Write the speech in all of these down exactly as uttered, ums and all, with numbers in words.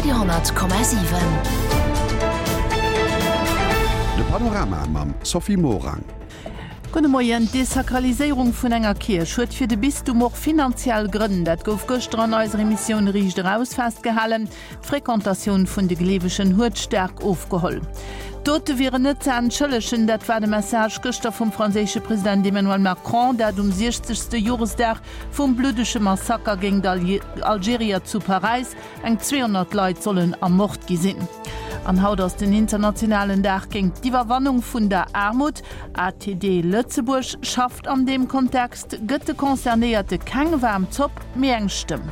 Radio honnert Komma siwen. De Panorama mam Sophie Morang. Gudde Moien. D'Desakraliséierung vun enger Kierch huet fir de Bistum och finanziell Grënn. Dat gouf gëschter an eiser Emissioun Riicht Eraus festgehalen. D'Frequentatioun vun de Gleewegen huet staark ofgeholl. D'Dote wieren net ze entschëllegen, dat war de Message gëschter vum franséische President Emmanuel Macron, dat um siechzegste Joresdag vum bluddege Massaker géint Algerier zu Paräis. Eng zweehonnert Leit sollen ermort gi sinn. An haut ass den internationalen Dag géint d'Iwwerwannung vun der Aarmut. A T D Lëtzebuerg schafft an deem Kontext, gëtt de Concernéierte keng waarm Zopp, mee eng Stëmm.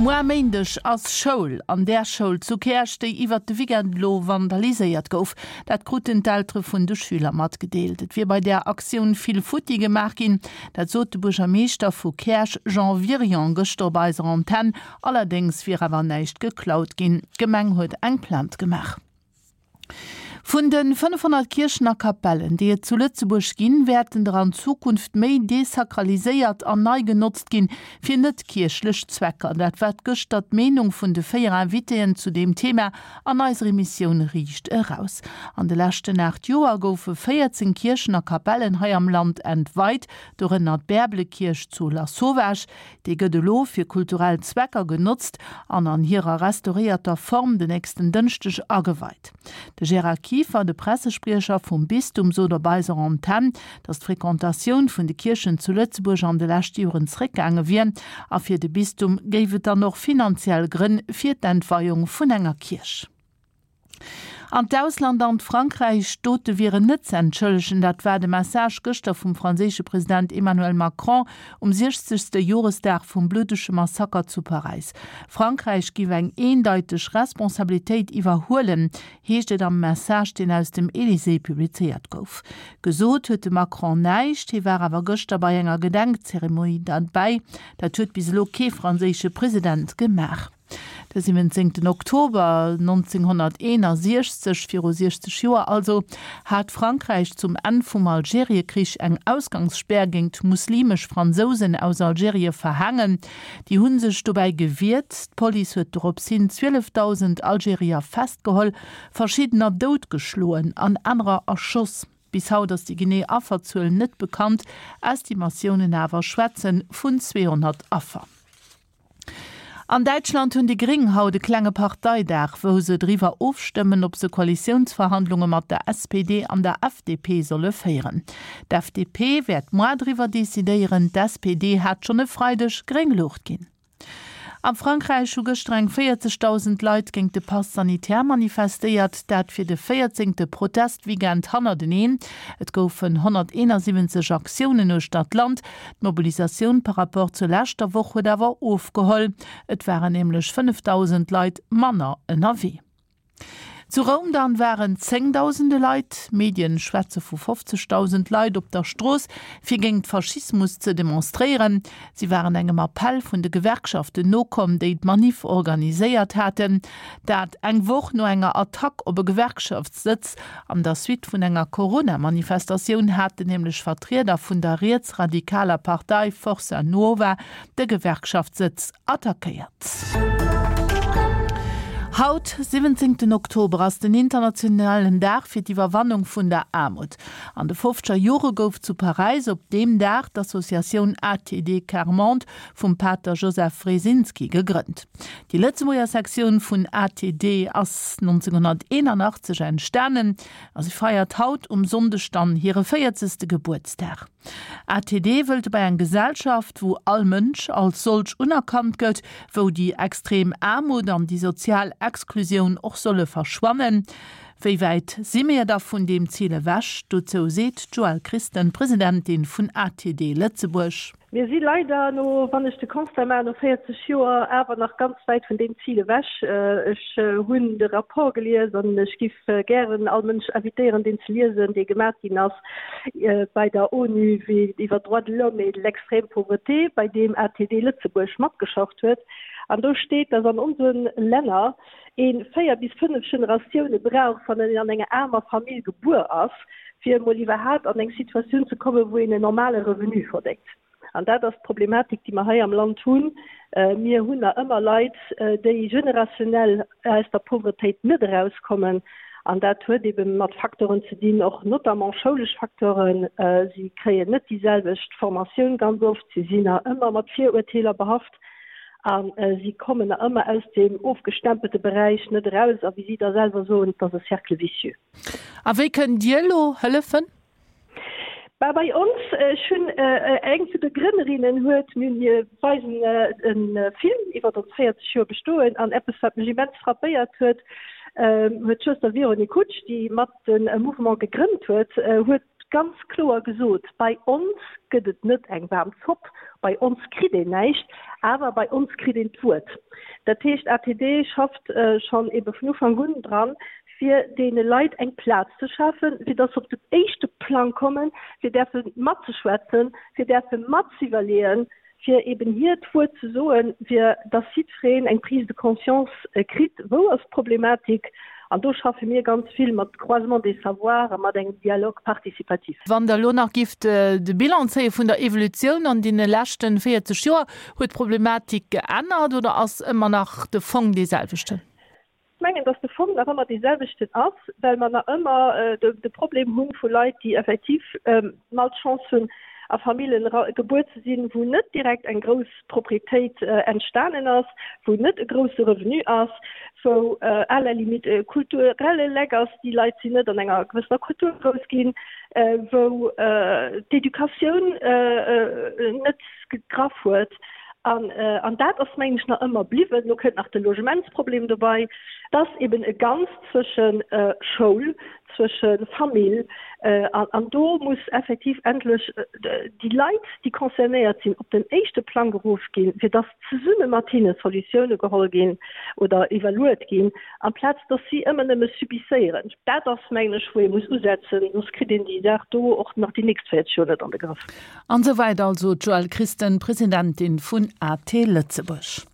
Muer Méindeg ass Schoul an där Schoul zu Käerch, déi iwwert de Weekend elo vandaliséiert gouf. Dat kruten d'Eltere vun de Schüler matgedeelt. Et wier bei där Aktioun vill futti gemaach ginn. Dat sot de Buergermeeschter vu Käerch Jean Wirion gëschter op eiser Antenn. Allerdéngs wier awer näischt geklaut ginn. D'Gemeng huet eng Plainte gemaach. Vun de fënnefhonnert Kierchen a Kapellen, déi et zu Lëtzebuerg ginn, wäerten der an Zukunft méi desakraliséiert an nei genotzt ginn, fir net-kierchlech Zwecker. Dat war gëschter d'Meenung vun de véier Invitéen zu deem Thema an eiser Emissioun Riicht Eraus. An de leschten aacht Joer goufe véierzéng Kierchen a Kapellen hei am Land entweit, dorënner d'Bäerbelekierch zu Lasauvage. Déi gëtt elo fir kulturell Zwecker genotzt an an hirer restauréierter Form den nächsten Dënschdeg ageweit. De Gérard Kieffer, de Pressespriecher vum Bistum, sot op eiser Antenn, datt d'Frequentatioun vun de Kierchen zu Lëtzebuerg an de leschte Joren zeréckgaange wier a fir de Bistum géif et dann och finanziell Grënn fir d'Entweiung vun enger Kierch. An d'Ausland an d'Frankräich, d'Dote wieren net ze entschëllegen, dat war de Message gëschter vum franséische President Emmanuel Macron um siechzegste Joresdag vum bluddege Massaker zu Paräis. Frankräich géif eng eendeiteg Responsabilitéit iwwerhuelen, heescht et am Message, deen aus dem Elysée publizéiert gouf. Gesot huet de Macron näischt, hie war awer gëschter bei enger Gedenkzeremonie derbäi. Dat huet bis elo kee franséische President gemaach. De siwwenzéngten Oktober nonzénghonnerteenasiechzeg, viru siechzeg Joer also, hat Frankräich zum Enn vum Algeriekrich eng Ausgangsspär géint muslimesch Fransousen aus Algerie verhaangen. Déi hu sech dobäi gewiert. D'Police huet dorops hin zwielefdausend Algerier festgeholl, verschiddener doutgeschloen an anerer erschoss. Bis haut ass déi genee Afferzuel net bekannt, Estimatiounen awer schwätze vun zweehonnert Affer. An Däitschland hunn déi Gréng haut e klenge Parteidag, wou se driwwer ofstëmmen, ob se Koalitiounsverhandlunge mat der S P D an der F D P solle féieren. D'F D P wäert muer driwwer decidéieren, d'S P D hat schonn e Freideg gréng Luucht ginn. Am Frankräich hu gëschter eng véierzegdausend Leit géint de Pass sanitaire manifestéiert, dat fir de véierzéngte Protestweekend hannerteneen. Et goufen honnerteenasiwwenzeg Aktiounen uechter d'Land. D'Mobilisatioun par rapport zur leschter Woch huet awer ofgeholl, et waren nämlech fënnefdausend Leit manner ënnerwee. Zu Roum dann waren zéngdausende Leit, Medien schwätze vu fofzegdausend Leit, op der Strooss, fir géint Faschismus ze demonstréieren. Si waren engem Appell vun de Gewerkschaften nokomm, déi d'Manif organiséiert haten. Dat eng Woch no enger Attack op e Gewerkschaftssëtz. An der Suite vun enger Corona-Manifestatioun haten nämlech Vertrieder vun der rietsradikaler Partei Forza Nuova de Gewerkschaftssëtz attackéiert. Haut, siwwenzéngten Oktober, ass den internationalen Dag fir d'Iwwerwannung vun der Aarmut. An de fofzeger Jore gouf zu Paräis op deem Dag d'Associatioun A T D Quart Monde vum Pater Joseph Wresinski gegrënnt. Déi Lëtzebuerger Sektioun vun A T D ass nonzénghonnerteenanachtzeg entstanen a si feiert haut um Sonndeg dann hire véierzegste Gebuertsdag. A T D wëllt dobäi eng Gesellschaft, wou all Mënsch als solch unerkannt gëtt, wou déi extrem Aarmut an déi sozial Exklusioun och solle verschwannen. Wéi wäit si mir da vun deem Zil ewech? Dozou seet d'Joëlle Christen, Presidentin vun A T D Lëtzebuerg. Mir si leider no, wann ech de Constat maachen, no véierzeg Joer awer nach ganz wäit vun deem Zil ewech. Ech hunn de Rapport gelies an ech giff gären all Mënsch invitéieren, deen ze liesen, dee gemat ginn ass bei der ONU iwwer d'Droits de l'homme et l'extrême pauvreté, bei deem A T D Lëtzebuerg matgeschafft huet. An do steet, dass an onse Länner ee véier bis fënnef Generatioune brauch, wann een an enger aarmer Famill gebuer ass, fir emol iwwerhaapt an eng Situatioun ze kommen, wou een en normale Revenu verdéngt. An dat ass d'Problematik, déi mer hei am Land hunn. Mir hunn nach ëmmer Leit, déi generationell aus der Pauvretéit net erauskommen. An dat huet ebe mat Facteuren ze dinn, och notamment schoulesch Facteuren. Si kréien net déi selwecht Formatioun ganz oft, si sinn nach ëmmer mat Virurteeler behaft a si kommen nach ëmmer aus deem ofgestempelte Beräich net eraus. A wéi si da selwer soen, et ass e Cercle vicieux. A wéi kënnt Dir elo hëllefen? Bah, bei ons, ech hunn eng vun de Grënnerinnen huet, mir mir weisen e Film iwwer ons véierzeg Joer Bestoen an eppes wat mech immens frappéiert huet, huet d'Schwëster Véronique Hutsch, déi mat de Mouvement gegrënnt huet, huet ganz kloer gesot, bei ons gëtt et net eng waarm Zopp, bei ons kritt een näischt, awer bei ons kritt een d'Wuert. Dat heescht, A T D schafft schonn ebe vun Ufank un dran, fir deene Leit eng Plaz ze schafen, fir dass se op den éischte Plang kommen, fir däerfe matzeschwätzen, fir däerfe matzeiwwerleeën, fir eben hiert Wuert ze soen, fir dass jiddwereen eng Prise de conscience kritt, wou ass d'Problematik. An do schaffe mir ganz vill mat Croisement des savoirs a mat engem Dialogue participatif. Wann Der elo nach gifft de Bilan zéie vun der Evolutioun an deene leschten véierzeg Joer, huet d'Problematik geännert oder ass ëmmer nach de Fong dee selwechten? Ech mengen, dass de Fong nach ëmmer dee selwechten ass, well mer nach ëmmer de Problem hu vu Leit, déi effektiv d'Malchance hunn, a Famillen gebuer ze sinn, wou net direkt eng grouss Proprietéit entstanen ass, wou net e grousse Revenu ass, wou à la limite e kulturelle Leck ass, déi Leit sinn net an enger gewëssener Kultur grouss ginn, wou d'Educatioun net gegraff huet. An, an dat ass, mengen ech, nach ëmmer bliwwen. Lo kënnt nach de Logementsproblem dobei. Et ass eben e Ganzt zwësche Schoul, zwësche Famill. An, an do muss effektiv endlech déi Leit, déi concernéiert sinn, op den éischte Plang geruff ginn, fir dass zesumme mat hinne Solutioune geholl ginn oder iwwerluet ginn, amplaz dass si ëmmer nëmme subisséieren. Dat ass, mengen ech, wou ee muss usetzen, soss kritt een déi Saach do och nach déi nächst véierzeg Joer net an de Grëff. An esou wäit also d'Joëlle Christen, Presidentin vun A T Lëtzebuerg.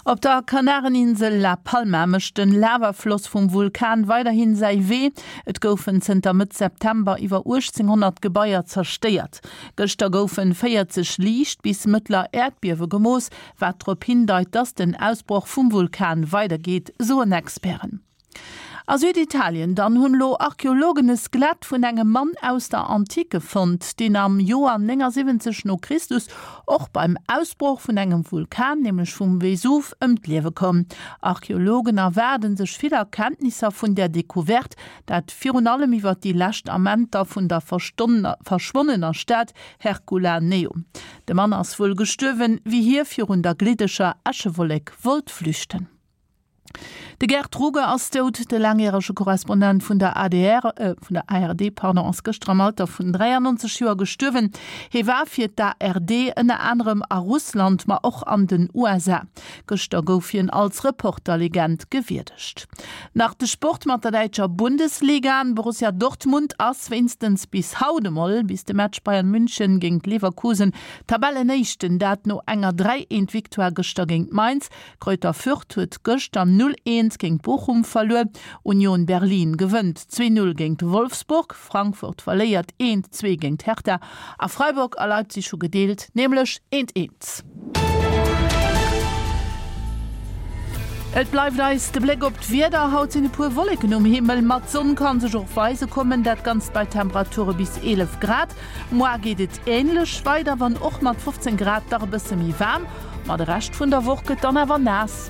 Op der Kanareninsel La Palma mécht de Lavafloss vum Vulkan weiderhin säi Wee. Et goufen zënter Mëtt September iwwer uechtzénghonnert Gebaier zerstéiert. Gëschter goufen véierzeg liicht bis mëttler Äerdbiewe gemooss, wat drop hindeit, dass den Ausbroch vum Vulkan weidergeet, soen Experten. A Süditalien dann hunn elo Archeologen e Skelett vun engem Mann aus der Antike fonnt, deen am Joer néngasiwwenzeg no Christus och beim Ausbroch vun engem Vulkan, nämlech vum Vesuv, ëm d'Liewe koum. Archeologen erwaarde sech vill Erkenntnisser vun där Decouverte, dat virun allem iwwer déi lescht Amenter vun der verschwonnener Stad Herculaneum. De Mann ass wuel gestuerwen, wéi hie virun der gliddeger Äschewollek wollt flüchten. De Gerd Ruge ass dout. De laangjärege Korrespondent vun der A D R, vun der A R D, pardon, ass gëschter am Alter vun dräiannonzeg Joer gestuerwen. Hie war fir d'A R D ënner anerem a Russland, ma och an den U S A. Gëschter gouf hien als Reporterlegend gewierdegt. Nach de Sport mat der däitscher Bundesliga. Borussia Dortmund ass wéinstens bis haut emol, bis de Match Bayern München géint Leverkusen, Tabellenéischten, dat no enger dräi eent Victoire gëschter géint Mainz. Greuther Fürth huet gëschter null eent géint Bochum verluer. Union Berlin gewënnt zwee null géint Wolfsburg, Frankfurt verléiert eent zwee géint Hertha a Freiburg a Leipzig hu gedeelt, nämlech eent eent. Et bleift eis de Bléck op d'Wieder. Haut sinn e puer Wolleken um Himmel, ma d'Sonn ka sech och weise kommen, dat Ganzt bei Temperature bis eelef Grad. Moar geet et änlech weider, wann och mat fofzéng Grad dach e bësse méi waarm. Ma de Rescht vun der Woch gëtt dann awer naass.